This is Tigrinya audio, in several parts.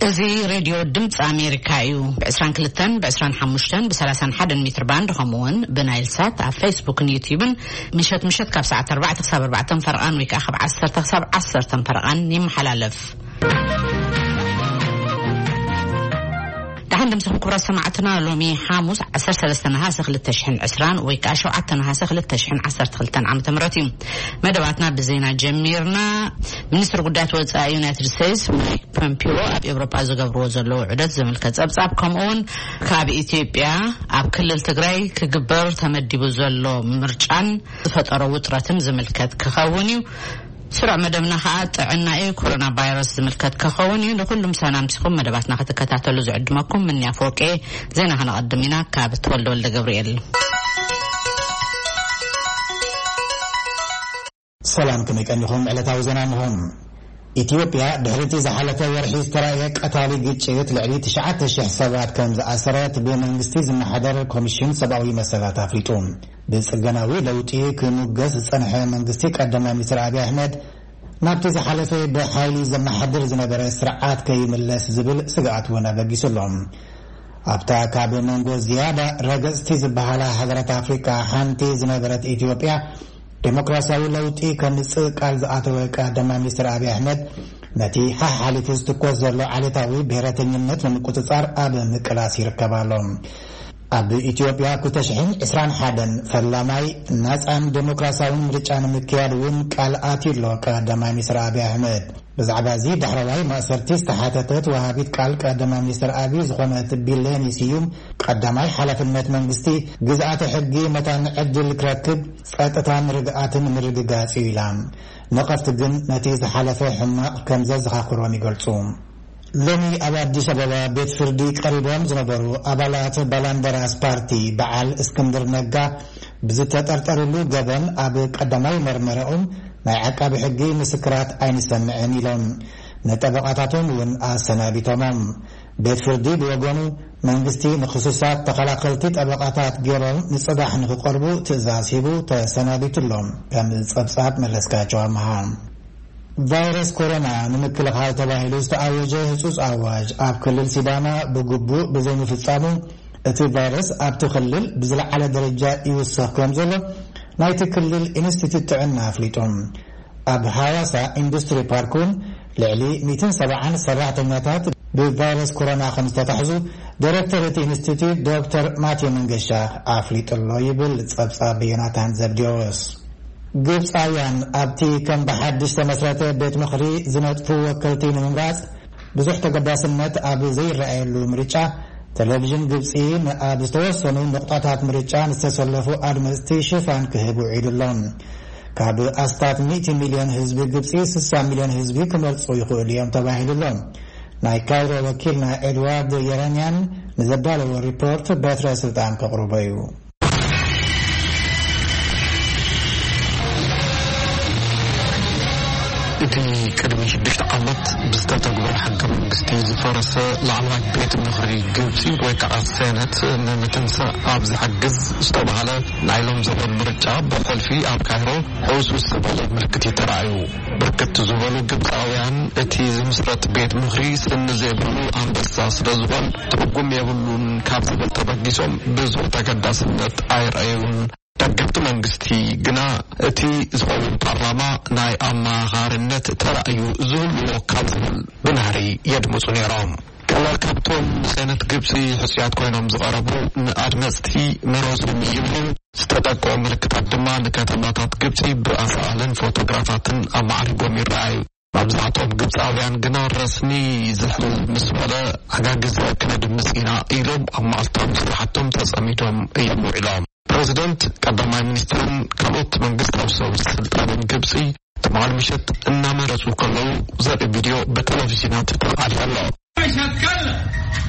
እዚ ሬድዮ ድምፂ ኣሜሪካ እዩ። ብ22፣ ብ25፣ ብ31 ሜትር ባንድ፣ ከምኡ እውን ብናይል ሳት ኣብ ፌስቡክን ዩቲዩብን ምሸት ምሸት ካብ ሰዓት ኣርባዕተ ክሳብ ኣርባዕተ ፈረቓን ወይ ከዓ ካብ ዓሰርተ ክሳብ ዓሰርተ ፈረቓን ይመሓላለፍ። ደሓን ድምፅኹም ክቡራት ሰማዕትና። ሎሚ ሓሙስ ዓሰርተ ሰለስተ ነሃሰ ክልተ ሽሕን ዕስራን ወይ ከዓ ሸውዓተ ነሃሰ ክልተ ሽሕን ዓሰርተ ክልተን ዓመተ ምህረት እዩ። መደባትና ብዜና ጀሚርና። ሚኒስትር ጉዳያት ወፃኢ ዩናይትድ ስቴትስ ማይክ ፖምፒዮ ኣብ ኤውሮጳ ዝገብርዎ ዘለዉ ዑደት ዝምልከት ጸብጻብ፣ ከምኡውን ካብ ኢትዮጵያ ኣብ ክልል ትግራይ ክግበር ተመዲቡ ዘሎ ምርጫን ዝፈጠሮ ውጥረትን ዝምልከት ክኸውን እዩ። ስሩዕ መደብና ኸኣ ጥዕና እዩ። ኮሮና ቫይረስ ዝምልከት ክኸውን እዩ። ንኹሉም ሰናምሲኹም መደባትና ክትከታተሉ ዝዕድመኩም ምንያ ፎቄ። ዜና ከነቐድም ኢና ካብ ተወልደ ወልደ ገብርኤል። ሰላም፣ ከመይ ቀኒኹም? ዕለታዊ ዜና እንሆ። ኢትዮጵያ ድሕሪ እቲ ዝሓለፈ ወርሒ ዝተራእየ ቀታሊ ግጭት ልዕሊ ትሽዓተ ሽሕ ሰባት ከም ዝኣሰረት ብመንግስቲ ዝመሓደር ኮሚሽን ሰብኣዊ መሰላት ኣፍሊጡ። ብጽገናዊ ለውጢ ክሙገስ ዝጸንሐ መንግስቲ ቀዳማይ ሚኒስትር ኣብይ ኣሕመድ ናብቲ ዝሓለፈ ብሓይሊ ዘመሓድር ዝነበረ ስርዓት ከይምለስ ዝብል ስግኣት እውን ኣበጊሱ ኣሎ። ኣብታ ካብ መንጎ ዝያዳ ረገጽቲ ዝበሃላ ሃገራት ኣፍሪቃ ሓንቲ ዝነበረት ኢትዮጵያ፣ ዴሞክራሲያዊ ለውጢ ከምጽእ ቃል ዝኣተወ ቀዳማይ ሚኒስትር ኣብይ ኣሕመድ፣ ነቲ ሓሓሊፉ ዝትኮስ ዘሎ ዓሌታዊ ብሔረተኝነት ንምቁጽጻር ኣብ ምቅላስ ይርከብ ኣሎ። ኣብ ኢትዮጵያ ክልተ ሽሕን ዕስራን ሓደን ፈላማይ ናጻን ዴሞክራሲያውን ምርጫ ንምክያድ እውን ቃል ኣትዩ ኣሎ ቀዳማይ ሚኒስትር ኣብይ ኣሕመድ። ብዛዕባ እዚ ዳሕረዋይ ማእሰርቲ ዝተሓተተት ወሃቢት ቃል ቀዳማይ ሚኒስትር ኣብይ ዝኾነት ቢሌኒ ስዩም፣ ቀዳማይ ሓላፍነት መንግስቲ ግዝኣተ ሕጊ መታን ዕድል ክረክብ ጸጥታን ርግኣትን ምርግጋጽ እዩ ኢላ። ነቐፍቲ ግን ነቲ ዝሓለፈ ሕማቕ ከም ዘዘኻኽሮን ይገልጹ። ሎሚ ኣብ ኣዲስ ኣበባ ቤት ፍርዲ ቀሪቦም ዝነበሩ ኣባላት ባላንደራስ ፓርቲ በዓል እስክንድር ነጋ ብዝተጠርጠሩሉ ገበን ኣብ ቀዳማይ መርመራኦም ናይ ዓቃቢ ሕጊ ምስክራት ኣይንሰምዕን ኢሎም ንጠበቓታቶም እውን ኣሰናቢቶሞም። ቤት ፍርዲ ብወገኑ መንግስቲ ንክሱሳት ተኸላኸልቲ ጠበቓታት ገይሮም ንጽባሕ ንክቐርቡ ትእዛዝ ሂቡ ተሰናቢቱ ኣሎ። ከም ጸብጻብ መለስካቸው ኣምሃ። ቫይረስ ኮሮና ንምክልኻል ተባሂሉ ዝተኣወጀ ህጹጽ ኣዋጅ ኣብ ክልል ሲዳማ ብግቡእ ብዘይምፍጻሙ እቲ ቫይረስ ኣብቲ ክልል ብዝለዓለ ደረጃ ይውሰኽ ከም ዘሎ ናይቲ ክልል ኢንስቲትዩት ጥዕና ኣፍሊጡ። ኣብ ሃዋሳ ኢንዱስትሪ ፓርክ እውን ልዕሊ ሚእትን ሰብዓን ሰራሕተኛታት ብቫይረስ ኮሮና ከም ዝተታሕዙ ዳይሬክተር እቲ ኢንስቲትዩት ዶክተር ማቴ መንገሻ ኣፍሊጡ ኣሎ ይብል ጸብጻብ ዮናታን ዘብዴዎስ። ግብጻውያን ኣብቲ ከም ብሓድሽ ተመስረተ ቤት ምኽሪ ዝነጥፉ ወከልቲ ንምምራጽ ብዙሕ ተገዳስነት ኣብ ዘይረኣየሉ ምርጫ፣ ቴሌቪዥን ግብጺ ንኣብ ዝተወሰኑ ንቑጣታት ምርጫ ንዝተሰለፉ ኣድመጽቲ ሽፋን ክህብ ውዒዱ ኣሎ። ካብ ኣስታት ሚእቲ ሚልዮን ህዝቢ ግብጺ፣ ስሳ ሚልዮን ህዝቢ ክመርጹ ይኽእሉ እዮም ተባሂሉ ኣሎ። ናይ ካይሮ ወኪልና ኤድዋርድ የረንያን ንዘዳለዎ ሪፖርት በትረ ስልጣን ከቕርቦ እዩ። እቲ ቅድሚ ሽዱሽተ ዓመት ብዝተተግበረ ሕገ መንግስቲ ዝፈረሰ ላዕለዋይ ቤት ምኽሪ ግብጺ ወይ ከዓ ሴነት ንምትንሳእ ኣብ ዝሕግዝ ዝተባህለ ናይ ሎም ዘበን ምርጫ ብሕልፊ ኣብ ካይሮ ሕውስውስ ዝበለ ምልክት እዩ ተራእዩ። ብርክት ዝበሉ ግብፃውያን እቲ ዝምስረት ቤት ምኽሪ ስኒ ዘይብሉ ኣንበሳ ስለ ዝኾን ትርጉም የብሉን ካብ ዝብል ተበጊሶም ብዙሕ ተገዳስነት ኣይረኣዩን። ደገፍቲ መንግስቲ ግና እቲ ዝኸውን ፓርላማ ናይ ኣመኻኻርነት ተራእዩ ዝህልዎ ካብ ዝብል ብናህሪ የድምፁ ነይሮም። ገለ ካብቶም ንሰነት ግብፂ ሕፁያት ኮይኖም ዝቐረቡ ንኣድመፅቲ መረፁ ይብሉ። ዝተጠቀሙ ምልክታት ድማ ንከተማታት ግብፂ ብኣሳእልን ፎቶግራፋትን ኣማዕሪጎም ይረኣዩ። መብዛሕትኦም ግብፃውያን ግና ረስኒ ዝሕል ምስ በለ ዕጋግዘ ክነድምፅ ኢና ኢሎም ኣብ መዓልታዊ ስራሕቶም ተፀሚዶም እዮም ውዒሎም። ፕሬዚደንት፣ ቀዳማይ ሚኒስትርን ካልኦት መንግስታዊ ሰብ ስልጣንን ግብፂ ትማሊ ምሸት እናመረፁ ከለዉ ዘርኢ ቪድዮ ብቴሌቪዥናት ተቃልሐ ኣሎ። مش هتكلم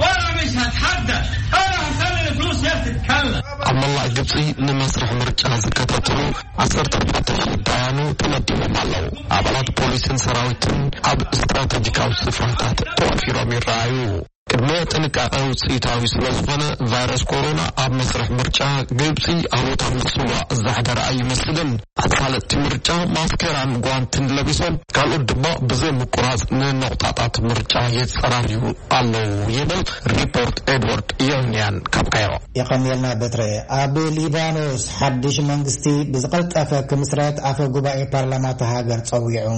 ولا مش هتحدى. انا هخلي الفلوس هي تتكلم. ኣብ መላእ ግብፂ ንመስርሕ ምርጫ ዝከታተሉ ዓሰርተ ኣርባዕተ ሺሕ ዳያኑ ተመዲቦም ኣለዉ። ኣባላት ፖሊስን ሰራዊትን ኣብ ስትራተጂካዊ ስፍራታት ተዋፊሮም ይረኣዩ። ቅድመ ጥንቃቐ ውፅኢታዊ ስለ ዝኾነ፣ ቫይረስ ኮሮና ኣብ መስርሕ ምርጫ ግብፂ ኣሉታዊ ፅልዋ ዘሕደረ ኣይመስልን። ኣሳለጥቲ ምርጫ ማስኬራን ጓንትን ለቢሶም፣ ካልኦት ድማ ብዘይ ምቁራፅ ንነቑጣጣት ምርጫ የፀራርዩ ኣለዉ ይብል ሪፖርት ኤድዋርድ ዮንያን ካብ ካይሮ። የቐንየልና በትረ። ኣብ ሊባኖስ ሓድሽ መንግስቲ ብዝቐልጠፈ ክምስረት ኣፈ ጉባኤ ፓርላማ እታ ሃገር ጸዊዑ።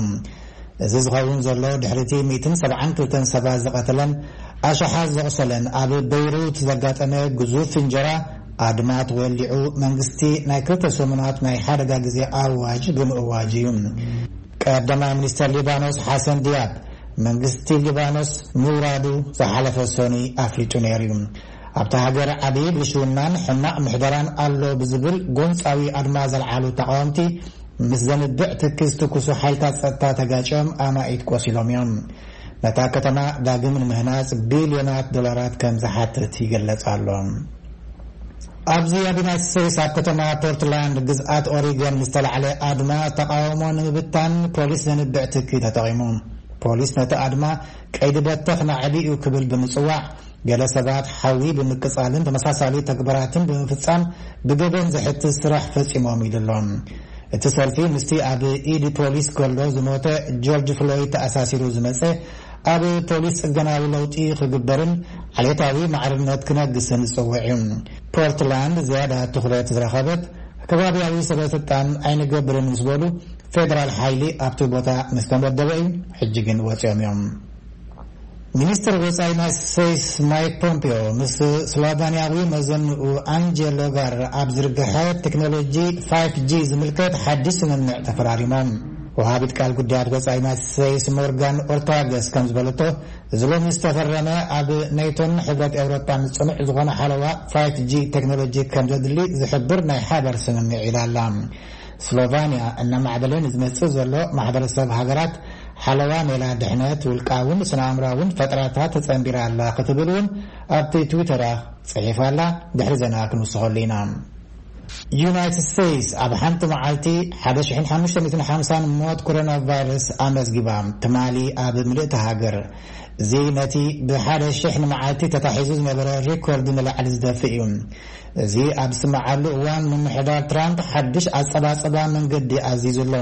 እዚ ዝኸውን ዘሎ ድሕሪቲ ሚእትን ሰብዓን ክልተን ሰባት ዝቐተለን ኣሽሓት ዘቑሰለን ኣብ በይሩት ዘጋጠመ ግዙፍ ፍንጀራ ኣድማ ተወሊዑ መንግስቲ ናይ ክልተ ሰሙናት ናይ ሓደጋ ግዜ ኣዋጅ ብምእዋጅ እዩ። ቀዳማይ ሚኒስተር ሊባኖስ ሓሰን ዲያብ መንግስቲ ሊባኖስ ምውራዱ ዝሓለፈ ሰኑይ ኣፍሊጡ ነይሩ እዩ። ኣብታ ሃገር ዓብዪ ብልሽውናን ሕማቕ ምሕደራን ኣሎ ብዝብል ጎንጻዊ ኣድማ ዘልዓሉ ተቓወምቲ ምስ ዘንብዕ ትኪ ዝትኩሱ ሓይልታት ጸጥታ ተጋጭዮም ኣማኢት ቆሲሎም እዮም። ነታ ከተማ ዳግም ንምህናጽ ቢልዮናት ዶላራት ከም ዝሓትት ይግለጽ ኣሎ። ኣብዚ ኣብ ዩናይትድ ስቴትስ ኣብ ከተማ ፖርትላንድ ግዝኣት ኦሪገን ዝተላዕለ ኣድማ ተቓውሞ ንምብታን ፖሊስ ዘንብዕ ትኪ ተጠቒሙ። ፖሊስ ነቲ ኣድማ ቀይዲ በተኽ ናዕቢ እዩ ክብል ብምጽዋዕ፣ ገለ ሰባት ሓዊ ብምቅጻልን ተመሳሳሊ ተግባራትን ብምፍጻም ብገበን ዘሕትት ስራሕ ፈጺሞም ኢሉ ኣሎ። እቲ ሰልፊ ምስቲ ኣብ ኢድ ፖሊስ ከሎ ዝሞተ ጆርጅ ፍሎይድ ተኣሳሲሩ ዝመጸ፣ ኣብ ፖሊስ ጽገናዊ ለውጢ ክግበርን ዓሌታዊ ማዕርነት ክነግስን ዝጽውዕ እዩ። ፖርትላንድ ዝያዳ ትኹረት ዝረኸበት ከባቢያዊ ሰበ ስልጣን ኣይንገብርን ምስ በሉ፣ ፌደራል ሓይሊ ኣብቲ ቦታ ምስ ተመደበ እዩ። ሕጂ ግን ወጺኦም እዮም። ሚኒስትር ወጻኢ ዩናይትድ ስቴትስ ማይክ ፖምፒዮ ምስ ስሎቫንያዊ መዘንኡ ኣንጀ ሎጋር ኣብ ዝርግሐ ቴክኖሎጂ ፋይፍ ጂ ዝምልከት ሓድሽ ስምምዕ ተፈራሪሞም። ወሃቢት ቃል ጉዳያት ወጻኢ ዩናይትድ ስቴትስ ሞርጋን ኦርታገስ ከም ዝበለቶ፣ እዚ ሎሚ ዝተፈረመ ኣብ ኔቶን ሕብረት ኤውሮጳን ጽኑዕ ዝኾነ ሓለዋ ፋይፍ ጂ ቴክኖሎጂ ከም ዘድሊ ዝሕብር ናይ ሓበር ስምምዕ ኢላ ኣላ። ስሎቫንያ እናማዕበለ ንዝመጽእ ዘሎ ማሕበረሰብ ሃገራት ሓለዋ ሜላ ድሕነት ውልቃውን ስነ ኣእምራውን ፈጠራታት ተጸንቢራ ኣላ ክትብል እውን ኣብቲ ትዊተራ ጽሒፋ ኣላ። ድሕሪ ዜና ክንውስኸሉ ኢና። ዩናይትድ ስቴትስ ኣብ ሓንቲ መዓልቲ ሓደ ሽሕን ሓሙሽተ ሚእትን ሓምሳን ሞት ኮሮና ቫይረስ ኣመዝጊባ፣ ትማሊ ኣብ ምልእቲ ሃገር። እዚ ነቲ ብሓደ ሽሕ ንመዓልቲ ተታሒዙ ዝነበረ ሪኮርድ ንላዕሊ ዝደፍእ እዩ። እዚ ኣብ ዝስምዓሉ እዋን፣ ምምሕዳር ትራምፕ ሓድሽ ኣጸባጽባ መንገዲ ኣዚዙ ኣሎ።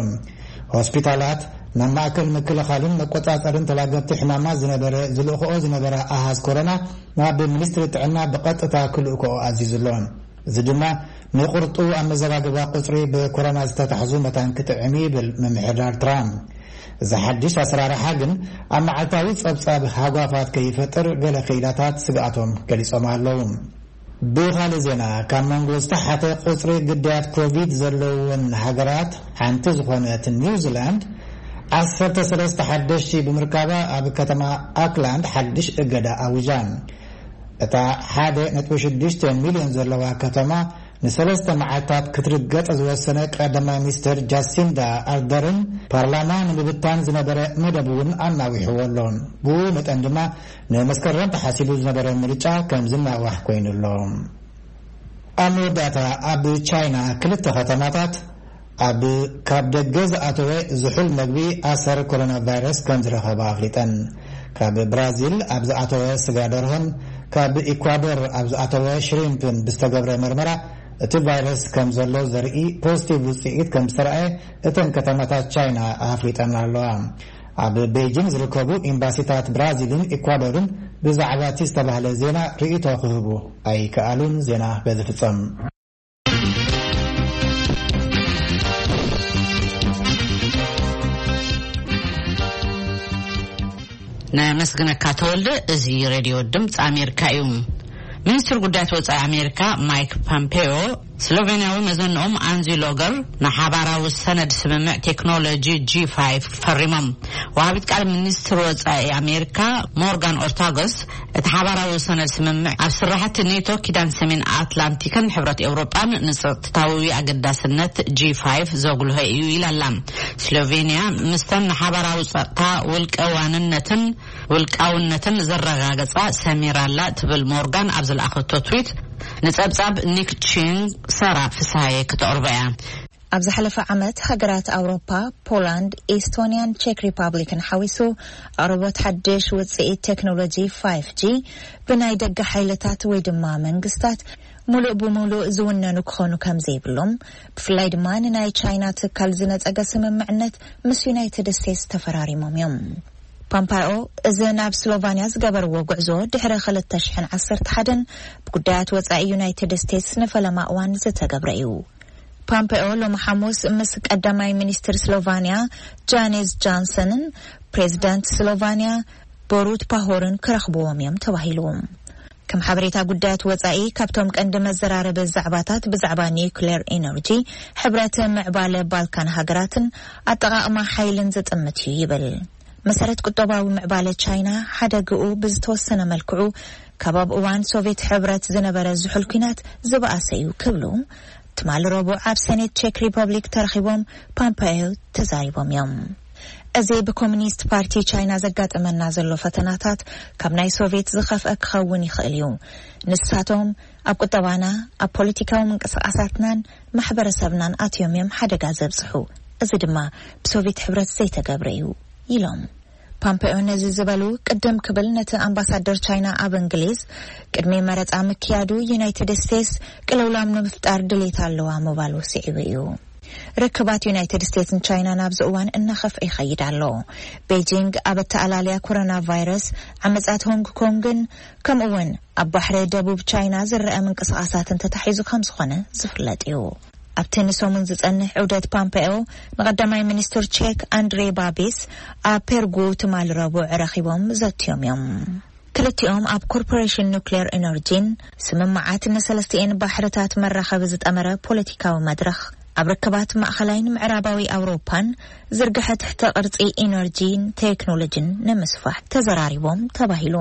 ሆስፒታላት ናብ ማእከል ምክልኻልን መቆጻጸርን ተላገብቲ ሕማማት ዝነበረ ዝልእኽኦ ዝነበረ ኣሃዝ ኮሮና ናብ ሚኒስትሪ ጥዕና ብቐጥታ ክልእክኦ ኣዚዙ ኣሎ። እዚ ድማ ንቁርጡ ኣመዘጋግባ ቁጽሪ ብኮሮና ዝተታሕዙ መታን ክጥዕም እዩ ይብል ምምሕዳር ትራምፕ። እዚ ሓድሽ ኣሰራርሓ ግን ኣብ መዓልታዊ ጸብጻብ ሃጓፋት ከይፈጥር ገለ ክኢላታት ስግኣቶም ገሊጾም ኣለዉ። ብኻልእ ዜና፣ ካብ መንጎ ዝተሓተ ቁጽሪ ግዳያት ኮቪድ ዘለወን ሃገራት ሓንቲ ዝኾነት ኒውዚላንድ፣ ዓሰርተ ሰለስተ ሓደሽቲ ብምርካባ ኣብ ከተማ ኣክላንድ ሓድሽ እገዳ ኣዊጃ። እታ ሓደ ነጥቢ ሽዱሽተ ሚልዮን ዘለዋ ከተማ ንሰለስተ መዓልታት ክትርገጥ ዝወሰነ ቀዳማይ ሚኒስትር ጃሲንዳ ኣርደርን ፓርላማ ንምብታን ዝነበረ መደብ እውን ኣናዊሕዎ ኣሎ። ብኡ መጠን ድማ ንመስከረም ተሓሲቡ ዝነበረ ምርጫ ከም ዝናዋሕ ኮይኑ ኣሎ። ኣብ መወዳእታ፣ ኣብ ቻይና ክልተ ከተማታት ኣብ ካብ ደገ ዝኣተወ ዝሑል መግቢ ኣሰር ኮሮና ቫይረስ ከም ዝረኸባ ኣፍሊጠን። ካብ ብራዚል ኣብ ዝኣተወ ስጋ ደርሆን ካብ ኢኳዶር ኣብ ዝኣተወ ሽሪምፕን ብዝተገብረ መርመራ፣ እቲ ቫይረስ ከም ዘሎ ዘርኢ ፖዚቲቭ ውጽኢት ከም ዝተረኣየ እተን ከተማታት ቻይና ኣፍሊጠን ኣለዋ። ኣብ ቤይጂን ዝርከቡ ኤምባሲታት ብራዚልን ኢኳዶርን ብዛዕባ እቲ ዝተባህለ ዜና ርእይቶ ክህቡ ኣይከኣሉን። ዜና በዚ ፍጸም። ነመስግነካ ተወልደ። እዚ ሬድዮ ድምፂ ኣሜሪካ እዩ። ሚኒስትር ጉዳያት ወፃኢ ኣሜሪካ ማይክ ፖምፔዮ ስሎቬንያዊ መዘንኦም ኣንዚ ሎገር ንሓባራዊ ሰነድ ስምምዕ ቴክኖሎጂ ጂ ፋይቭ ፈሪሞም። ወሃቢት ቃል ሚኒስትር ወፃኢ ኣሜሪካ ሞርጋን ኦርታጎስ፣ እቲ ሓባራዊ ሰነድ ስምምዕ ኣብ ስራሕቲ ኔቶ፣ ኪዳን ሰሜን ኣትላንቲክን ሕብረት ኤውሮጳን ንጸጥታዊ ኣገዳስነት ጂ ፋይቭ ዘጉልሆ እዩ ኢላ ኣላ። ስሎቬንያ ምስተን ንሓባራዊ ጸጥታ ውልቀ ዋንነትን ውልቃውነትን ዘረጋገጻ ሰሚራ ኣላ ትብል ሞርጋን ኣብ ዝለኣኸቶ ትዊት፣ ንጸብጻብ ኒክ ቺንግ ሰራ ፍስሃየ ክተቕርቦ እያ። ኣብ ዝሓለፈ ዓመት፣ ሃገራት ኣውሮፓ፣ ፖላንድ፣ ኤስቶንያን ቼክ ሪፓብሊክን ሓዊሱ፣ ኣቕርቦት ሓድሽ ውጽኢት ቴክኖሎጂ ፋይፍ ጂ ብናይ ደገ ሓይልታት ወይ ድማ መንግስታት ሙሉእ ብሙሉእ ዝውነኑ ክኾኑ ከም ዘይብሎም፣ ብፍላይ ድማ ንናይ ቻይና ትካል ዝነጸገ ስምምዕነት ምስ ዩናይትድ ስቴትስ ተፈራሪሞም እዮም። ፓምፓዮ እዚ ናብ ስሎቫንያ ዝገበርዎ ጉዕዞ ድሕሪ ክልተ ሽሕን ዓሰርተ ሓደን ብጉዳያት ወጻኢ ዩናይትድ ስቴትስ ንፈለማ እዋን ዝተገብረ እዩ። ፓምፔኦ ሎሚ ሓሙስ ምስ ቀዳማይ ሚኒስትር ስሎቫንያ ጃኔዝ ጃንሰንን ፕሬዚዳንት ስሎቫንያ ቦሩት ፓሆርን ክረኽብዎም እዮም ተባሂሉ። ከም ሓበሬታ ጉዳያት ወጻኢ፣ ካብቶም ቀንዲ መዘራረቢ ዛዕባታት ብዛዕባ ኒውክሌር ኤነርጂ፣ ሕብረት ምዕባለ ባልካን ሃገራትን ኣጠቓቕማ ሓይልን ዝጥምት እዩ ይብል። መሰረት ቁጠባዊ ምዕባለ ቻይና ሓደግኡ ብዝተወሰነ መልክዑ ካብ ኣብ እዋን ሶቪየት ሕብረት ዝነበረ ዝሑል ኲናት ዝበኣሰ እዩ ክብሉ ትማሊ ረቡዕ ኣብ ሴኔት ቼክ ሪፐብሊክ ተረኺቦም ፓምፓዮ ተዛሪቦም እዮም። እዚ ብኮሚኒስት ፓርቲ ቻይና ዘጋጠመና ዘሎ ፈተናታት ካብ ናይ ሶቪየት ዝኸፍአ ክኸውን ይኽእል እዩ። ንሳቶም ኣብ ቁጠባና፣ ኣብ ፖለቲካዊ ምንቅስቃሳትናን ማሕበረሰብናን ኣትዮም እዮም ሓደጋ ዘብፅሑ። እዚ ድማ ብሶቪየት ሕብረት ዘይተገብረ እዩ ኢሎም። ፓምፔዮ ነዚ ዝበሉ ቅድም ክብል ነቲ ኣምባሳደር ቻይና ኣብ እንግሊዝ ቅድሚ መረፃ ምክያዱ ዩናይትድ ስቴትስ ቅልውላም ንምፍጣር ድሌት ኣለዋ ምባሉ ስዒቡ እዩ። ርክባት ዩናይትድ ስቴትስን ቻይናን ኣብዚ እዋን እናኸፍአ ይኸይድ ኣሎ። ቤጂንግ ኣብ ኣተኣላልያ ኮሮና ቫይረስ፣ ዓመፃት ሆንግ ኮንግን ከምኡ እውን ኣብ ባሕሪ ደቡብ ቻይና ዝረአ ምንቅስቃሳትን ተታሒዙ ከም ዝኾነ ዝፍለጥ እዩ። ኣብቲ ንሰሙን ዝጸንሕ ዑደት ፓምፔኦ ንቐዳማይ ሚኒስትር ቼክ ኣንድሬ ባቢስ ኣብ ፔርጉ ትማሊ ረቡዕ ረኺቦም ዘትዮም እዮም። ክልቲኦም ኣብ ኮርፖሬሽን ኑክሌር ኤነርጂን ስምምዓት ንሰለስቲኤን ባሕርታት መራኸቢ ዝጠመረ ፖለቲካዊ መድረኽ፣ ኣብ ርክባት ማእኸላይን ምዕራባዊ ኣውሮፓን ዝርግሐ ትሕተ ቅርጺ ኤነርጂን ቴክኖሎጂን ንምስፋሕ ተዘራሪቦም ተባሂሉ።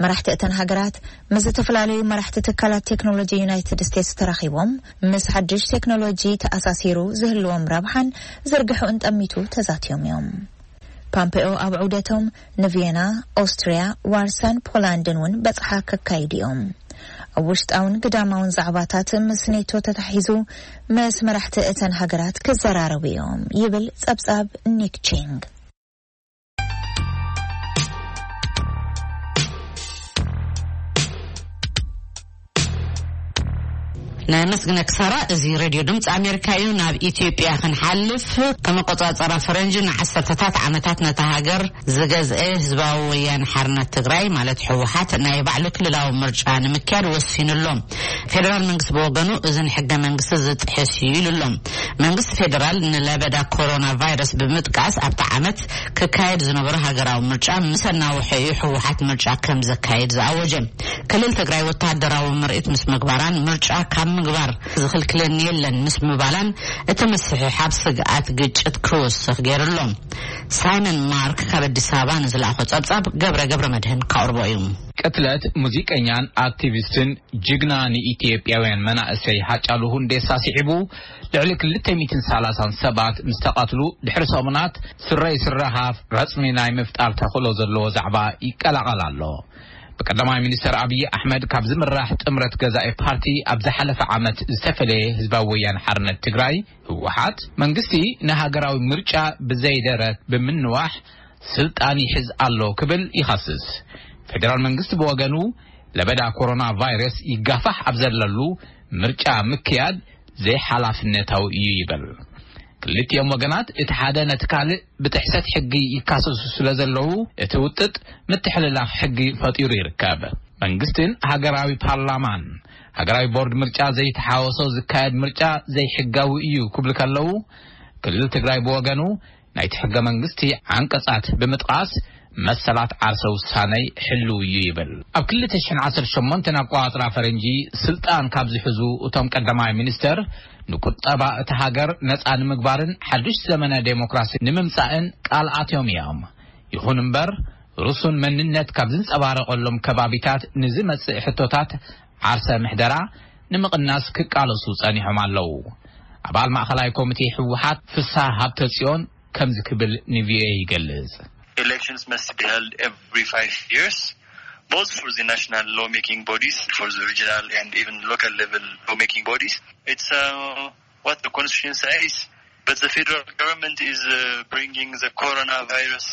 መራሕቲ እተን ሃገራት ምስ ዝተፈላለዩ መራሕቲ ትካላት ቴክኖሎጂ ዩናይትድ ስቴትስ ተራኺቦም፣ ምስ ሓድሽ ቴክኖሎጂ ተኣሳሲሩ ዝህልዎም ረብሓን ዝርግሐኡን ጠሚቱ ተዛትዮም እዮም። ፓምፔኦ ኣብ ዑደቶም ንቪየና፣ ኦስትርያ፣ ዋርሳን ፖላንድን እውን በጽሓ ከካይዱ እዮም። ኣብ ውሽጣውን ግዳማውን ዛዕባታት ምስ ኔቶ ተታሒዙ ምስ መራሕቲ እተን ሃገራት ክዘራረቡ እዮም ይብል ጸብጻብ ኒክ ቺንግ። ነመስግነክ ሳራ። እዚ ሬድዮ ድምፂ ኣሜሪካ እዩ። ናብ ኢትዮጵያ ክንሓልፍ፣ ከም ኣቆፃፀራ ፈረንጂ ንዓሰርተታት ዓመታት ነታ ሃገር ዝገዝአ ህዝባዊ ወያነ ሓርነት ትግራይ ማለት ህወሓት ናይ ባዕሉ ክልላዊ ምርጫ ንምክያድ ወሲኑ ኣሎ። ፌደራል መንግስቲ ብወገኑ እዚ ንሕገ መንግስቲ ዝጥሕስ እዩ ኢሉ ኣሎ። መንግስቲ ፌደራል ንለበዳ ኮሮና ቫይረስ ብምጥቃስ ኣብቲ ዓመት ክካየድ ዝነበሮ ሃገራዊ ምርጫ ምስ ኣናውሐ እዩ ህወሓት ምርጫ ከም ዘካየድ ዝኣወጀ። ክልል ትግራይ ወታደራዊ ምርኢት ምስ ምግባራን ምርጫ ካብ ምግባር ዝኽልክለኒ የለን ምስ ምባላን እቲ ምስሕሓብ ስግኣት ግጭት ክወስኽ ገይሩ ኣሎ። ሳይመን ማርክ ካብ ኣዲስ ኣበባ ንዝለኣኾ ጸብጻብ ገብረ ገብረ መድህን ካቕርቦ እዩ። ቅትለት ሙዚቀኛን ኣክቲቪስትን ጅግና ንኢትዮጵያውያን መናእሰይ ሃጫሉ ሁንዴሳ ስዒቡ፣ ልዕሊ ክልተ ሚእትን ሰላሳን ሰባት ምስ ተቐትሉ ድሕሪ ሰሙናት፣ ስረ ይስረ ሃፍ ረጽሚ ናይ ምፍጣር ተኽእሎ ዘለዎ ዛዕባ ይቀላቐል ኣሎ። ብቀዳማይ ሚኒስተር ኣብይ ኣሕመድ ካብ ዝምራሕ ጥምረት ገዛኢ ፓርቲ ኣብ ዝሓለፈ ዓመት ዝተፈለየ ህዝባዊ ወያነ ሓርነት ትግራይ፣ ህወሓት፣ መንግስቲ ንሃገራዊ ምርጫ ብዘይደረት ብምንዋሕ ስልጣን ይሕዝ ኣሎ ክብል ይኸስስ። ፌደራል መንግስቲ ብወገኑ ለበዳ ኮሮና ቫይረስ ይጋፋሕ ኣብ ዘለሉ ምርጫ ምክያድ ዘይሓላፍነታዊ እዩ ይብል። ክልቲኦም ወገናት እቲ ሓደ ነቲ ካልእ ብጥሕሰት ሕጊ ይካሰሱ ስለ ዘለዉ እቲ ውጥጥ ምትሕልላፍ ሕጊ ፈጢሩ ይርከብ። መንግስትን ሃገራዊ ፓርላማን ሃገራዊ ቦርድ ምርጫ ዘይተሓወሶ ዝካየድ ምርጫ ዘይሕጋዊ እዩ ክብሉ ከለዉ፣ ክልል ትግራይ ብወገኑ ናይቲ ሕገ መንግስቲ ዓንቀጻት ብምጥቓስ መሰላት ዓርሰ ውሳኔ ሕልው እዩ ይብል። ኣብ ክልተ ሽሕን ዓሰርተ ሸሞንተን ኣቆጻጽራ ፈረንጂ ስልጣን ካብ ዝሕዙ እቶም ቀዳማይ ሚኒስተር ንቁጠባ እታ ሃገር ነጻ ንምግባርን ሓድሽ ዘመነ ዴሞክራሲ ንምምጻእን ቃል ኣትዮም እዮም። ይኹን እምበር ርሱን መንነት ካብ ዝንጸባረቐሎም ከባቢታት ንዝመጽእ ሕቶታት ዓርሰ ምሕደራ ንምቕናስ ክቃለሱ ጸኒሖም ኣለዉ። ኣባል ማእኸላይ ኮሚቴ ህወሓት ፍስሃ ሃብተጽዮን ከምዚ ክብል ንቪኦኤ ይገልጽ። Elections must be held every five years, both for the national lawmaking bodies, for the regional and even local level lawmaking bodies. It's uh, what the constitution says. But the federal government is uh, bringing the coronavirus.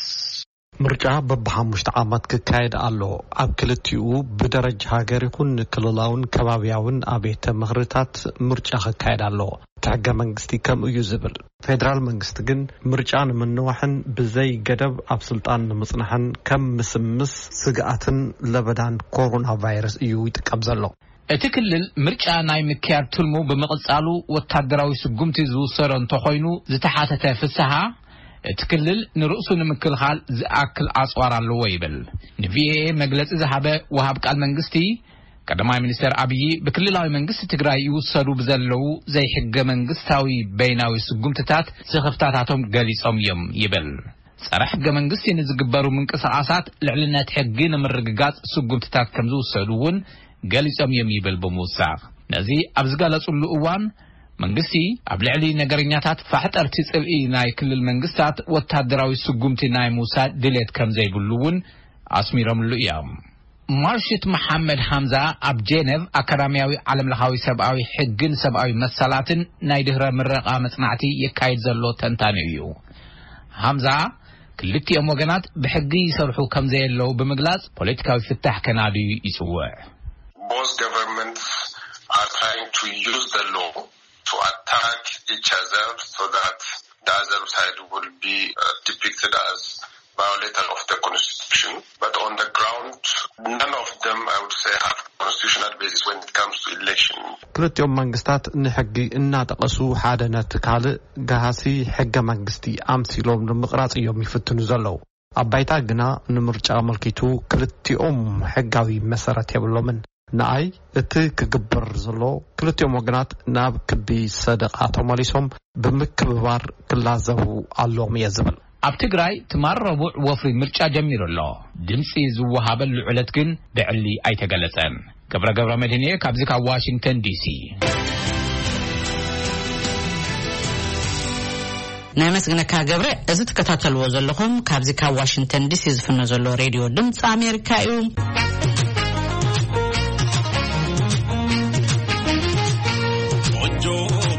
ምርጫ በብሓሙሽተ ዓመት ክካየድ ኣሎ። ኣብ ክልቲኡ ብደረጃ ሃገር ይኹን ክልላውን ከባብያውን ኣብያተ ምኽርታት ምርጫ ክካየድ ኣሎ። እቲ ሕገ መንግስቲ ከምኡ እዩ ዝብል። ፌደራል መንግስቲ ግን ምርጫ ንምንዋሕን ብዘይ ገደብ ኣብ ስልጣን ንምጽናሕን ከም ምስምስ ስግኣትን ለበዳን ኮሮና ቫይረስ እዩ ይጥቀም ዘሎ። እቲ ክልል ምርጫ ናይ ምክያድ ትልሙ ብምቕጻሉ ወታደራዊ ስጉምቲ ዝውሰዶ እንተኾይኑ ዝተሓተተ ፍስሃ፣ እቲ ክልል ንርእሱ ንምክልኻል ዝኣክል ኣጽዋር ኣለዎ ይብል። ንቪኦኤ መግለጺ ዝሃበ ወሃብ ቃል መንግስቲ፣ ቀዳማይ ሚኒስተር ኣብዪ ብክልላዊ መንግስቲ ትግራይ ይውሰዱ ብዘለዉ ዘይሕገ መንግስታዊ በይናዊ ስጉምትታት ስኽፍታታቶም ገሊጾም እዮም ይብል። ጸረ ሕገ መንግስቲ ንዝግበሩ ምንቅስቓሳት ልዕልነት ሕጊ ንምርግጋጽ ስጉምትታት ከም ዝውሰዱ እውን ገሊጾም እዮም ይብል ብምውሳኽ፣ ነዚ ኣብ ዝገለጹሉ እዋን መንግስቲ ኣብ ልዕሊ ነገረኛታት ፋሕጠርቲ ጽልኢ ናይ ክልል መንግስታት ወታደራዊ ስጉምቲ ናይ ምውሳድ ድሌት ከም ዘይብሉ እውን ኣስሚሮምሉ እዮም። ማርሽት መሓመድ ሃምዛ ኣብ ጄነቭ ኣካዳሚያዊ ዓለምለኻዊ ሰብኣዊ ሕግን ሰብኣዊ መሰላትን ናይ ድህረ ምረቓ መጽናዕቲ የካይድ ዘሎ ተንታኒ እዩ። ሃምዛ ክልቲኦም ወገናት ብሕጊ ይሰርሑ ከም ዘየለዉ ብምግላጽ ፖለቲካዊ ፍታሕ ከናድዩ ይጽውዕ። Both governments are trying to use the law to attack each other so that the other side will be uh, depicted as violator of the constitution. But on the ground, none of them, I would say, have constitutional basis when it comes to election. ክልቲኦም መንግስታት ንሕጊ እናጠቐሱ ሓደ ነቲ ካልእ ገሃሲ ሕገ መንግስቲ ኣምሲሎም ንምቕራጽ እዮም ይፍትኑ ዘለዉ። ኣብ ባይታ ግና ንምርጫ ኣመልኪቱ ክልቲኦም ሕጋዊ መሰረት የብሎምን። ንኣይ እቲ ክግበር ዘሎ ክልቲኦም ወገናት ናብ ክቢ ሰደቓ ተመሊሶም ብምክብባር ክላዘቡ ኣለዎም እየ ዝብል። ኣብ ትግራይ ትማል ረቡዕ ወፍሪ ምርጫ ጀሚሩ ኣሎ። ድምፂ ዝወሃበሉ ዕለት ግን ብዕሊ ኣይተገለጸን። ገብረ ገብረ መድህን እየ ካብዚ ካብ ዋሽንግተን ዲሲ። ናይ መስግነካ ገብረ። እዚ ትከታተልዎ ዘለኹም ካብዚ ካብ ዋሽንግተን ዲሲ ዝፍኖ ዘሎ ሬድዮ ድምፂ ኣሜሪካ እዩ። ቆንጆ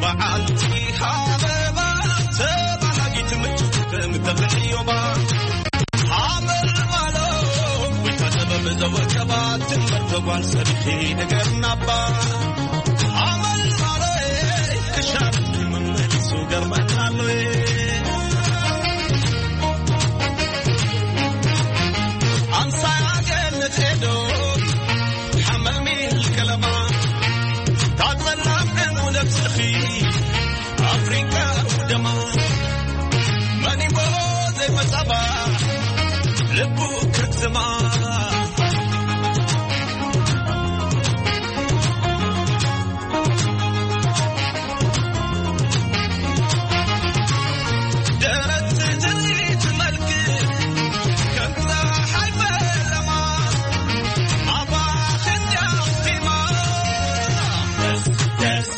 በዓልቲ ሃበባ ተባሃጊት ምቹ ከም ተኽልዮባ ሃመልማሎ ወይ ከሰበብ ዘወቀባ ትንበር ተጓል ሰብኺ ንገርናባ ሃመልማሎ ክሻብ መመሊሱ ገርመናሎ ኣምሳያ ገነት ሄዶ ሓመልሚል ከለማ ታጸላም ዕኑ ነብስኺ ኣፍሪቃ ደማ መኒሞ ዘይመጻባ ልቡ ክትማ ደረት ትርኢት መልክ ከም ፀሓይ ፈለማ ኣባኽን ያኽቲማ ደስ ደስ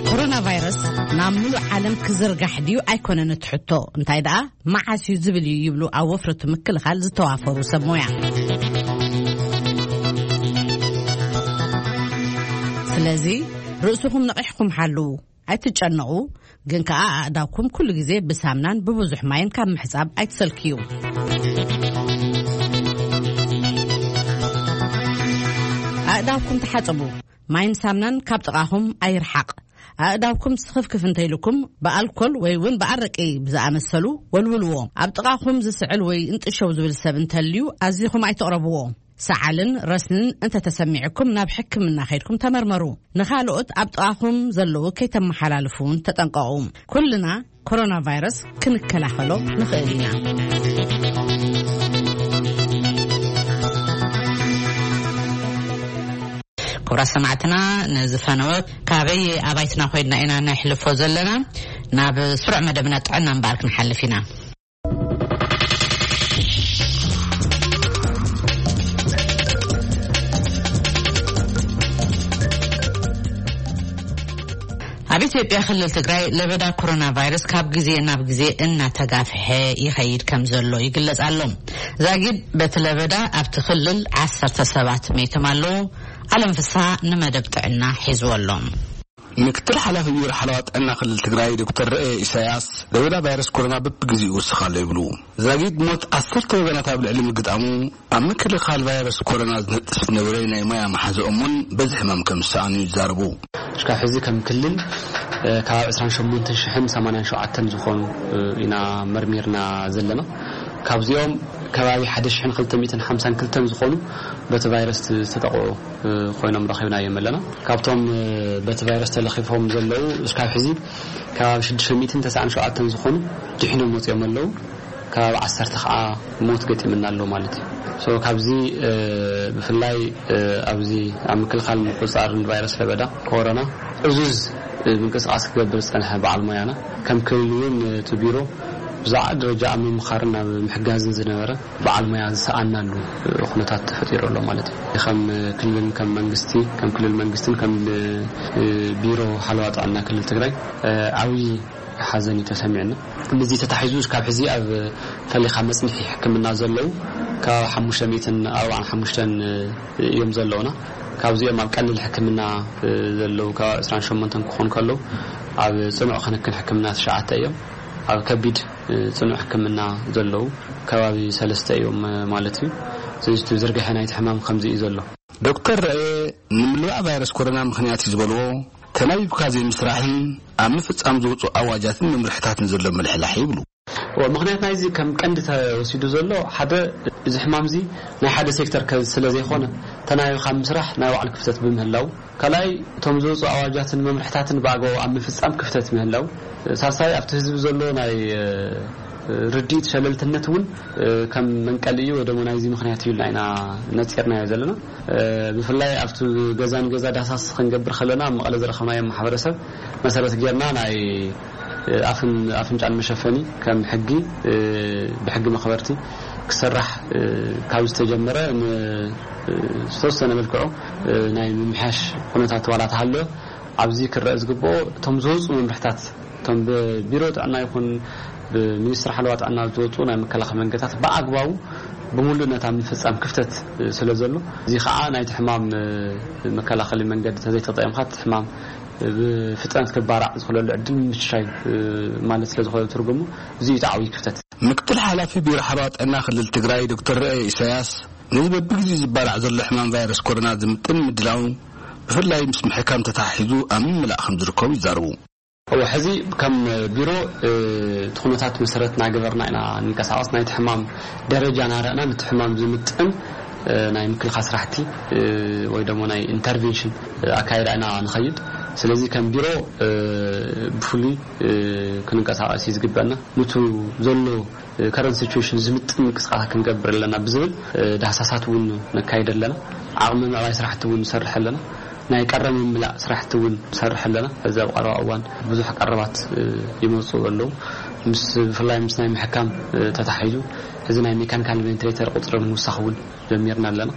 ኮሮና ቫይረስ ናብ ሙሉእ ዓለም ክዝርጋሕ ድዩ ኣይኮነን እቲ ሕቶ፣ እንታይ ደኣ መዓስ እዩ ዝብል እዩ ይብሉ ኣብ ወፍሪ ምክልኻል ዝተዋፈሩ ሰብ ሞያ። ስለዚ ርእስኹም ነቒሕኩም ሓልዉ። ኣይትጨነቑ፣ ግን ከኣ ኣእዳውኩም ኩሉ ግዜ ብሳምናን ብብዙሕ ማይን ካብ ምሕጻብ ኣይትሰልክዩ። ኣእዳውኩም ተሓጸቡ። ማይን ሳምናን ካብ ጥቓኹም ኣይርሓቕ። ኣእዳውኩም ስኽፍክፍ እንተኢልኩም ብኣልኮል ወይ እውን ብኣረቂ ብዝኣመሰሉ ወልውልዎ። ኣብ ጥቓኹም ዝስዕል ወይ እንጥሸው ዝብል ሰብ እንተልዩ ኣዚኹም ኣይትቕረብዎ። ሰዓልን ረስንን እንተተሰሚዕኩም ናብ ሕክምና ከይድኩም ተመርመሩ። ንኻልኦት ኣብ ጥቓኹም ዘለዉ ከይተመሓላልፉ እውን ተጠንቀቑ። ኩልና ኮሮና ቫይረስ ክንከላኸሎ ንኽእል ኢና። ክቡራት ሰማዕትና፣ ነዚ ፈነወ ካበይ ኣባይትና ኮይድና ኢና ነሕልፎ ዘለና? ናብ ስሩዕ መደብና ጥዕና እምበኣር ክንሓልፍ ኢና። ኣብ ኢትዮጵያ ክልል ትግራይ ለበዳ ኮሮና ቫይረስ ካብ ግዜ ናብ ግዜ እናተጋፍሐ ይኸይድ ከም ዘሎ ይግለጽ ኣሎ። ዛጊድ በቲ ለበዳ ኣብቲ ክልል ዓሰርተ ሰባት መይቶም ኣለዉ። ኣለም ፍስሃ ንመደብ ጥዕና ሒዝዎ ኣሎ። ምክትል ሓላፊ ቢሮ ሓለዋ ጥዕና ክልል ትግራይ ዶክተር ረኤ ኢሳያስ፣ ለበዳ ቫይረስ ኮሮና በብግዜኡ ይውስኽ ኣሎ ይብሉ። ዛጊድ ሞት ዓሰርተ ወገናት ኣብ ልዕሊ ምግጣሙ፣ ኣብ ምክልኻል ቫይረስ ኮሮና ዝነጥፍ ዝነበረ ናይ ሞያ መሓዛኦም እውን በዚ ሕማም ከም ዝሰኣኑ ይዛረቡ። እስካብ ሕዚ ከም ክልል፣ እ፣ ካብ ዕስራን ሸሞንተን ሽሕን ሰማንያን ሸውዓተን ዝኾኑ፣ እ፣ ኢና መርሚርና ዘለና። ካብዚኦም ከባቢ ሓደ ሽሕን ክልተ ሚእትን ሓምሳን ክልተን ዝኾኑ በቲ ቫይረስ ዝተጠቕዑ፣ እ፣ ኮይኖም ረኺብናዮም ኣለና። ካብቶም፣ እ፣ በቲ ቫይረስ ተለኺፎም ዘለዉ እስካብ ሕዚ ከባቢ ሽዱሽተ ሚእትን ተስዓን ሸውዓተን ዝኾኑ ድሒኖም ወፂኦም ኣለዉ። ከባቢ ዓሰርተ ከዓ ሞት ገጢምና ኣሎ ማለት እዩ። ሶ ካብዚ፣ እ፣ ብፍላይ፣ እ፣ ኣብዚ ኣብ ምክልኻል ምቁፅፃርን ቫይረስ ለበዳ ኮሮና ዕዙዝ፣ እ፣ ምንቅስቃስ ክገብር ዝፀንሐ በዓል ሞያና፣ ከም ክልል እውን እቲ ቢሮ ብዛዕባ ደረጃ ኣብ ምምኻርን ኣብ ምሕጋዝን ዝነበረ በዓል ሞያ ዝሰኣናሉ፣ እ፣ ኩነታት ተፈጢሩ ኣሎ ማለት እዩ። ከም ክልልን ከም መንግስቲ፣ ከም ክልል መንግስትን ከም፣ እ፣ ቢሮ ሓለዋ ጥዕና ክልል ትግራይ፣ እ፣ ዓብዪ ሓዘን እዩ ተሰሚዕና። ነዚ ተታሒዙ እስካብ ሕዚ ኣብ ፈሊኻ መጽንሒ ሕክምና ዘለዉ ካብ ሓሙሽተ ሚእትን ኣርባዓን ሓሙሽተን እዮም ዘለዉና። ካብዚኦም ኣብ ቀሊል ሕክምና ዘለዉ ካብ ዕስራን ሸሞንተን ክኾኑ ከለዉ፣ ኣብ ጽኑዕ ክንክን ሕክምና ትሽዓተ እዮም። ኣብ ከቢድ ጽኑዕ ሕክምና ዘለዉ ከባቢ ሰለስተ እዮም ማለት እዩ። ስለዚ እቲ ዝርግሐ ናይቲ ሕማም ከምዚ እዩ ዘሎ። ዶክተር ረኤ፣ ንምልባዕ ቫይረስ ኮሮና ምኽንያት እዩ ዝበልዎ፣ ተናቢብካ ዘይምስራሕን ኣብ ምፍጻም ዝወፁ ኣዋጃትን መምርሕታትን ዘሎ ምልሕላሕ ይብሉ። እዎ፣ ምኽንያት ናይዚ ከም ቀንዲ ተወሲዱ ዘሎ ሓደ፣ እዚ ሕማም እዚ ናይ ሓደ ሴክተር ከ-፣ ስለ ዘይኮነ፣ ተናቢብካ ምስራሕ ናይ ባዕሉ ክፍተት ብምህላው፣ ካልኣይ እቶም ዝወፁ ኣዋጃትን መምርሕታትን ብኣግባቡ ኣብ ምፍጻም ክፍተት ምህላው፣ ሳልሳይ ኣብቲ ህዝቢ ዘሎ ናይ፣ እ፣ ርድኢት ሸለልትነት እውን፣ እ፣ ከም መንቀሊ እዩ ወይ ደሞ ናይዚ ምኽንያት እዩ ኢልና ኢና ነፂርናዮ ዘለና። እ፣ ብፍላይ ኣብቲ ገዛ ንገዛ ዳህሳስ ክንገብር ከለና ኣብ መቐለ ዝረኸብናዮም ማሕበረሰብ መሰረት ጌርና ናይ፣ እ፣ ኣፍን ኣፍንጫን መሸፈኒ ከም ሕጊ፣ እ፣ ብሕጊ መኽበርቲ ክሰራሕ፣ እ፣ ካብ ዝተጀመረ ን-፣ እ፣ ዝተወሰነ መልክዑ፣ እ፣ ናይ ምምሕያሽ ኩነታት ዋላ ተሃለወ ኣብዚ ክረአ ዝግብኦ እቶም ዝወፁ መምርሕታት እቶም ብቢሮ ጥዕና ይኹን ብሚኒስትሪ ሓለዋ ጥዕና ዝወፁ ናይ መከላኸሊ መንገድታት ብኣግባቡ ብምሉእነት ኣብ ምፍፃም ክፍተት ስለ ዘሎ፣ እዚ ከዓ ናይቲ ሕማም መከላኸሊ መንገዲ ተዘይተጠቂምካ እቲ ሕማም ብፍጥነት ክባራዕ ዝኽለሉ ዕድል ምምችቻይ ማለት ስለ ዝኾነ ትርጉሙ እዚ እዩ እቲ ዓብዪ ክፍተት። ምክትል ሓላፊ ቢሮ ሓለዋ ጥዕና ክልል ትግራይ ዶክተር ርአየ ኢሳያስ ነዚ በብግዜኡ ዝባራዕ ዘሎ ሕማም ቫይረስ ኮሮና ዝምጥን ምድላው ብፍላይ ምስ ምሕካም ተተሓሒዙ ኣብ ምምላእ ከም ዝርከቡ ይዛረቡ። እወ፣ ሕዚ ከም ቢሮ፣ እ፣ እቲ ኩነታት መሰረት እናገበርና ኢና ንንቀሳቐስ። ናይቲ ሕማም ደረጃ እናረኣና ነቲ ሕማም ዝምጥን፣ እ፣ ናይ ምክልኻል ስራሕቲ፣ እ፣ ወይ ደሞ ናይ ኢንተርቬንሽን፣ እ፣ ኣካይዳ ኢና ንኸይድ። ስለዚ ከም ቢሮ፣ እ፣ ብፍሉይ፣ እ፣ ክንንቀሳቐስ እዩ ዝግበአና። ንቱ ዘሎ ከረንት ሲቹዌሽን ዝምጥን ምንቅስቃሳት ክንገብር ኣለና ብዝብል ዳህሳሳት እውን ነካይድ ኣለና። ዓቕሚ ምዕባይ ስራሕቲ እውን ንሰርሕ ኣለና። ናይ ቀረብ ምምላእ ስራሕቲ እውን ንሰርሕ ኣለና። እዚ ኣብ ቀረባ እዋን ብዙሕ ቀረባት ይመፁ ኣለዉ። ምስ ብፍላይ ምስ ናይ ምሕካም ተታሒዙ እዚ ናይ ሜካኒካል ቬንቲሌተር ቁፅሪ ምውሳኽ እውን ጀሚርና ኣለና።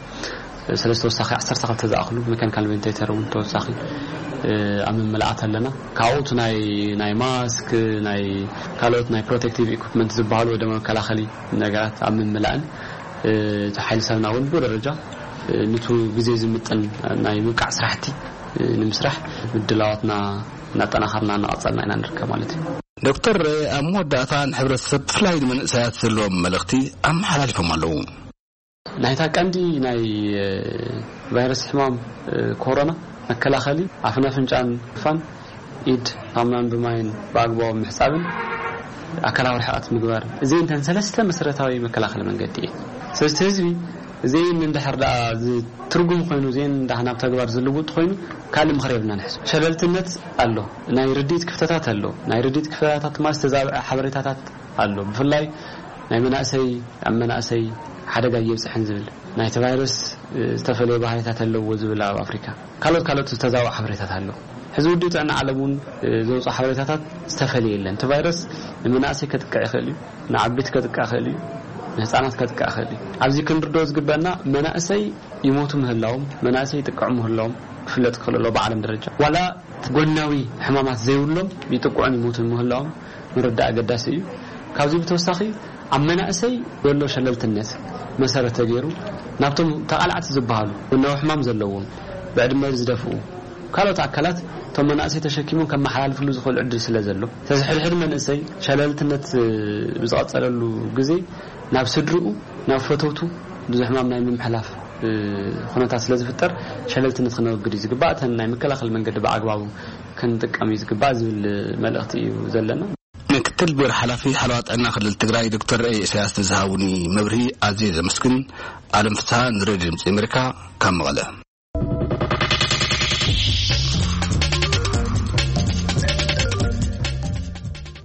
ስለዚ ተወሳኺ ዓሰርተ ክልተ ዝኣኽሉ ሜካኒካል ቬንቲሌተር እውን ተወሳኺ ኣብ ምምልኣት ኣለና። ካብኡ እቲ ናይ ናይ ማስክ ናይ ካልኦት ናይ ፕሮቴክቲቭ ኢኩፕመንት ዝበሃሉ ወይ ድማ መከላኸሊ ነገራት ኣብ ምምላእን እቲ ሓይሊ ሰብና እውን ብኡ ደረጃ ንቱ ግዜ ዝምጥን ናይ ምብቃዕ ስራሕቲ ንምስራሕ ምድላዋትና እናጠናኸርና እናቐጸልና ኢና ንርከብ ማለት እዩ። ዶክተር ርኤ ኣብ መወዳእታ ንሕብረተሰብ ብፍላይ ንመንእሰያት ዘለዎም መልእኽቲ ኣመሓላሊፎም ኣለዉ። ናይታ ቀንዲ ናይ ቫይረስ ሕማም ኮሮና መከላኸሊ ኣፍን ኣፍንጫን ምሽፋን፣ ኢድ ሳሙናን ብማይን ብኣግባቡ ምሕጻብን ኣካላዊ ርሕቀት ምግባር፣ እዚኤን እተን ሰለስተ መሰረታዊ መከላኸሊ መንገዲ እየን። ስለዚ ህዝቢ እዚኤን እንድሕር ደኣ ዝትርጉም ኮይኑ፣ እዚኤን እንዳ ናብ ተግባር ዝልውጥ ኮይኑ፣ ካልእ ምኽሪ የብልናን። ሕዚ ሸለልትነት ኣሎ፣ ናይ ርድኢት ክፍተታት ኣሎ። ናይ ርድኢት ክፍተታት ማለት ዝተዛብዐ ሓበሬታታት ኣሎ። ብፍላይ ናይ መናእሰይ፣ ኣብ መናእሰይ ሓደጋ እየብፅሕን ዝብል፣ ናይቲ ቫይረስ ዝተፈለየ ባህሪታት ኣለዎ ዝብል ኣብ ኣፍሪካ፣ ካልኦት ካልኦት ዝተዛብዑ ሓበሬታት ኣሎ። ሕዚ ውድብ ጥዕና ዓለም እውን ዘውፅኦ ሓበሬታታት ዝተፈለየ የለን። እቲ ቫይረስ ንመናእሰይ ከጥቅዕ ይኽእል እዩ፣ ንዓበይቲ ከጥቅዕ ይኽእል እዩ፣ ንህፃናት ከጥቅዕ ይኽእል እዩ። ኣብዚ ክንርድኦ ዝግበአና፣ መናእሰይ ይሞቱ ምህላዎም፣ መናእሰይ ይጥቅዑ ምህላዎም ክፍለጥ ክኽእል ኣለዎ ብዓለም ደረጃ። ዋላ ጎናዊ ሕማማት ዘይብሎም ይጥቅዑን ይሞቱን ምህላዎም ምርዳእ ኣገዳሲ እዩ። ካብዚ ብተወሳኺ፣ ኣብ መናእሰይ ዘሎ ሸለልትነት መሰረት ተገይሩ፣ ናብቶም ተቓላዕቲ ዝበሃሉ፣ ጎናዊ ሕማም ዘለዎም፣ ብዕድመ ዝደፍኡ ካልኦት ኣካላት እቶም መናእሰይ ተሸኪሞም ከመሓላልፍሉ ዝኽእሉ ዕድል ስለ ዘሎ፣ ተዝሕድሕድ መንእሰይ ሸለልትነት ብዝቐጸለሉ ግዜ፣ ናብ ስድርኡ፣ ናብ ፈተውቱ ብዙሕ ሕማም ናይ ምምሕላፍ ኩነታት ስለ ዝፍጠር፣ ሸለልትነት ክነወግድ እዩ ዝግባእ። እተን ናይ መከላኸሊ መንገዲ ብኣግባቡ ክንጥቀም እዩ ዝግባእ ዝብል መልእኽቲ እዩ ዘለና። ምክትል ቢሮ ሓላፊ ሓለዋ ጥዕና ክልል ትግራይ ዶክተር ርኤ ኢሳያስ ንዝሃቡኒ መብርሂ ኣዝየ ዘመስግን። ኣለም ፍስሃ፣ ንሬድዮ ድምፂ ኣሜሪካ፣ ካብ መቐለ።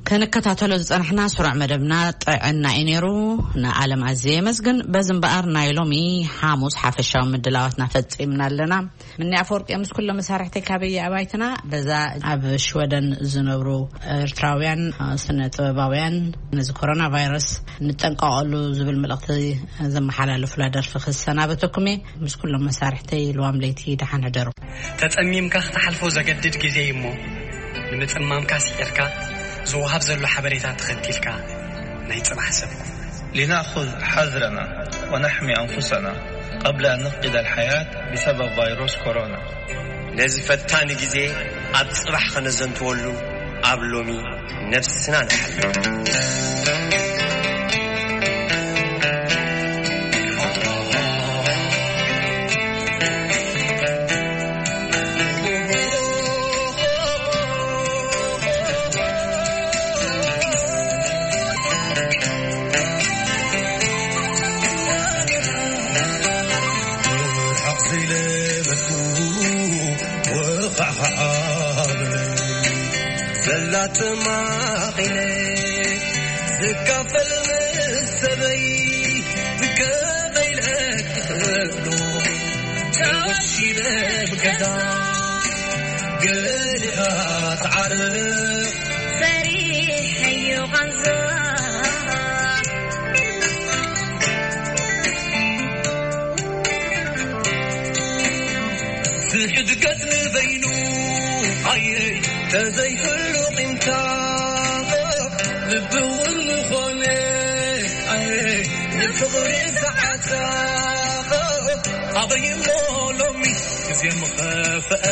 ክንከታተሎ ዝጸናሕና ስሩዕ መደብና ጥዕና እዩ ነይሩ። ንዓለም ኣዝየ የመስግን። በዚ እምበኣር ናይ ሎሚ ሓሙስ ሓፈሻዊ ምድላዋትና ፈጺምና ኣለና። ምኒ ኣፈወርቂ ምስ ኩሎም መሳርሕተይ ካበየ ኣባይትና፣ በዛ ኣብ ሽወደን ዝነብሩ ኤርትራውያን ስነ ጥበባውያን ነዚ ኮሮና ቫይረስ ንጠንቀቐሉ ዝብል መልእኽቲ ዘመሓላለፉላ ደርፊ ክሰናበተኩም እየ። ምስ ኩሎም መሳርሕተይ ልዋም ለይቲ ደሓን ሕደሩ። ተጸሚምካ ክትሓልፎ ዘገድድ ግዜ እዩ እሞ፣ ንምጽማምካ ስዒርካ ዝወሃብ ዘሎ ሓበሬታ ተኸቲልካ ናይ ጽባሕ ሰብ ኩን። لنأخذ حذرنا ونحمي أنفسنا قبل أن نفقد الحياة بسبب فيروس كورونا. ነዚ ፈታኒ ግዜ ኣብ ጽባሕ ከነዘንትወሉ ኣብ ሎሚ ነብስና ንሓሉ። ርሕቕ ዘይለበትኩ ወኻዕኻዕ በለኒ። ዘላ ተማቒለ ዝካፈል ምስ ሰበይ ከመይ ኢለ ክኽእሎ? ተወሺበ ብገዛ ገሊኻ ትዓርፍ። ሰሪሐዮ ቃንዛ። ዝሕድገት ንበይኑ ኣየ ተዘይህሉ ቂምታ። ልቢ እውን ዝኾነ ኣየ ንፍቕሪ ዝዓሳ። ኣበይ እሞ ሎሚ ግዜ ምኸፍአ።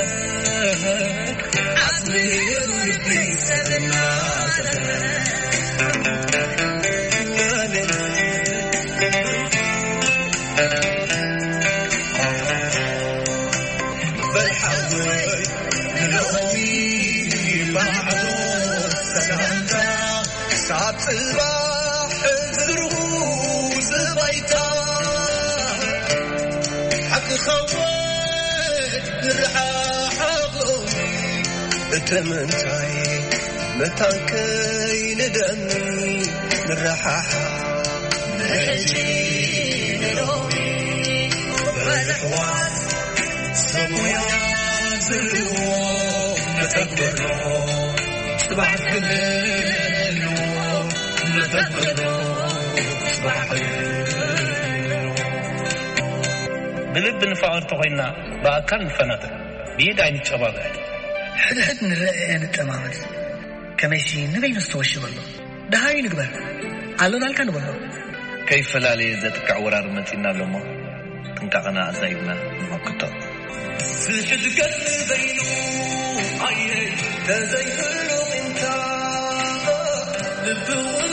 ሳብ ጽባሕ ዝርኡ ዝባይታ ሓቂ ኸውን ንረሓሓቕ ሎሚ። እተ ምንታይ መታን ከይንደኒ ንረሓሓቕ። ንሕጂ ንሎሚ በልሕዋት ሰብ ሞያ ዝህልዎ ነተግብሮ። ጽባሕ ክህልዎ ነተግብሮ። ጽባሕ ክህልዎ። ብልቢ ንፋቐር ተኾይንና ብኣካል ንፈናጠር፣ ብኢድ ኣይንጨባበጥ። ሕድሕድ ንረኣየ ንጠማመት። ከመይሲ ንበይኑ ዝተወሸበ ኣሎ። ደሃዩ ንግበር። ኣሎ ናልካ ንበሎ። ከይፈላለየ ዘጥቅዕ ወራር መጺና ኣሎ እሞ፣ ጥንቃቐና ኣዛይድና ንመክቶ። ዝሕድገት ንበይኑ ኣየ ተዘይህሉ ምንታ ልቢ እውን